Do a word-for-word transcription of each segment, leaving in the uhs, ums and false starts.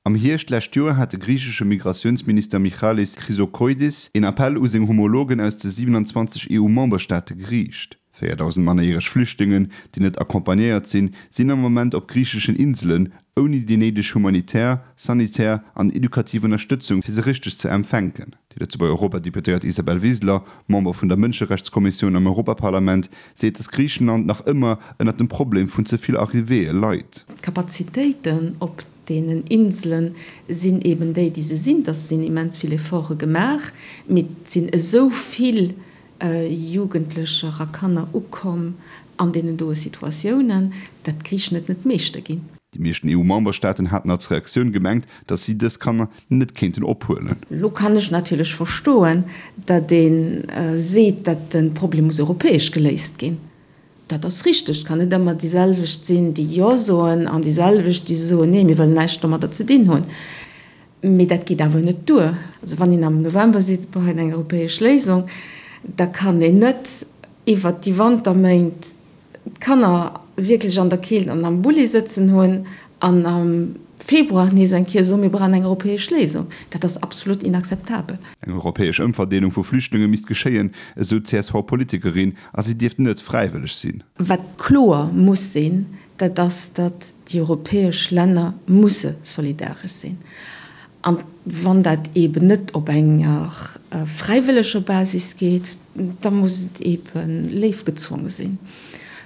Am Hierscht d'lescht Joer hat de griichesche Migratiounsminister Michalis Chrysochoidis een Appell u seng Homologen aus de siwenanzwanzeg E U-Memberstaate geriicht. Véierdausend mannerjäreg Flüchtlingen, déi net accompagnéiert sinn, sinn am Moment op griicheschen Inselen, ouni déi néideg humanitär, sanitär an edukativ Ënnerstëtzung, fir se richteg ze empfänken. Déi Lëtzebuerger Europadeputéiert Isabel Wiseler, Member vun der Mënscherechtskommissioun am Europaparlament, seet, datt Griichenland nach ëmmer ënnert dem Problem vun ze vill Arrivéeë leit. D'Kapazitéiten op deenen Insele sinn eben déi, déi se sinn. Et sinn immens vill Efforte gemaach, mee et sinn esou vill Jugendlecher a Kanner ukomm an deenen doe Situatiounen, datt d'Griichen et net meeschter ginn. Déi meeschten E U-Memberstaaten haten als Reaktioun gemengt, datt si dës Kanner net kéinten ophuelen. Elo kann ech natierlech verstoen, datt ee seet, datt de Problem muss europäesch geléist ginn. Dat ass richteg. Et kann net ëmmer déi selwecht sinn, déi Jo soen, an déi selwecht, déi soen, Nee, mir wëllen näischt domadder ze dinn hunn. Mee dat geet awer net duer. Also wann een am November seet, et brauch een eng europäesch Léisung, da kann een net iwwert déi Wanterméint d'Kanner wierklech an der Keelt an am Bulli sëtzen hunn an am Februar nees eng Kéier soen, mir brauchen eng europäesch Léisung. Dat ass absolut inakzeptabel. Eng europäesch Ëmverdeelung vu Flüchtlinge misst geschéien, esou d'C S V-Politikerin, a si dierft net fräiwëlleg sinn. Wat kloer muss sinn, dat ass, datt déi europäesch Länner musse solidaresch sinn. An wann dat eeben net op enger fräiwëlleger Basis geet, da muss et eebe léif gezwonge sinn,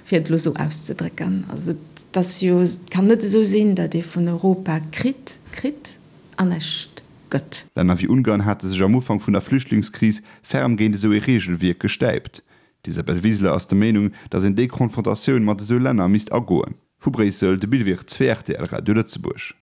fir et elo esou auszedrécken. Also et ass jo, et kann net esou sinn, datt ee vun Europa kritt, kritt an näischt gëtt. Länner wéi Ungarn hate sech am Ufank vun der Flüchtlingskris ferm géint esou ee Reegelwierk gestäipt. D'Isabel Wiseler ass der Meenung, datt een déi Konfrontatioun mat esou Länner misst agoen. Vu Bréissel, de Bill Wirtz fir rtl Radio Lëtzebuerg.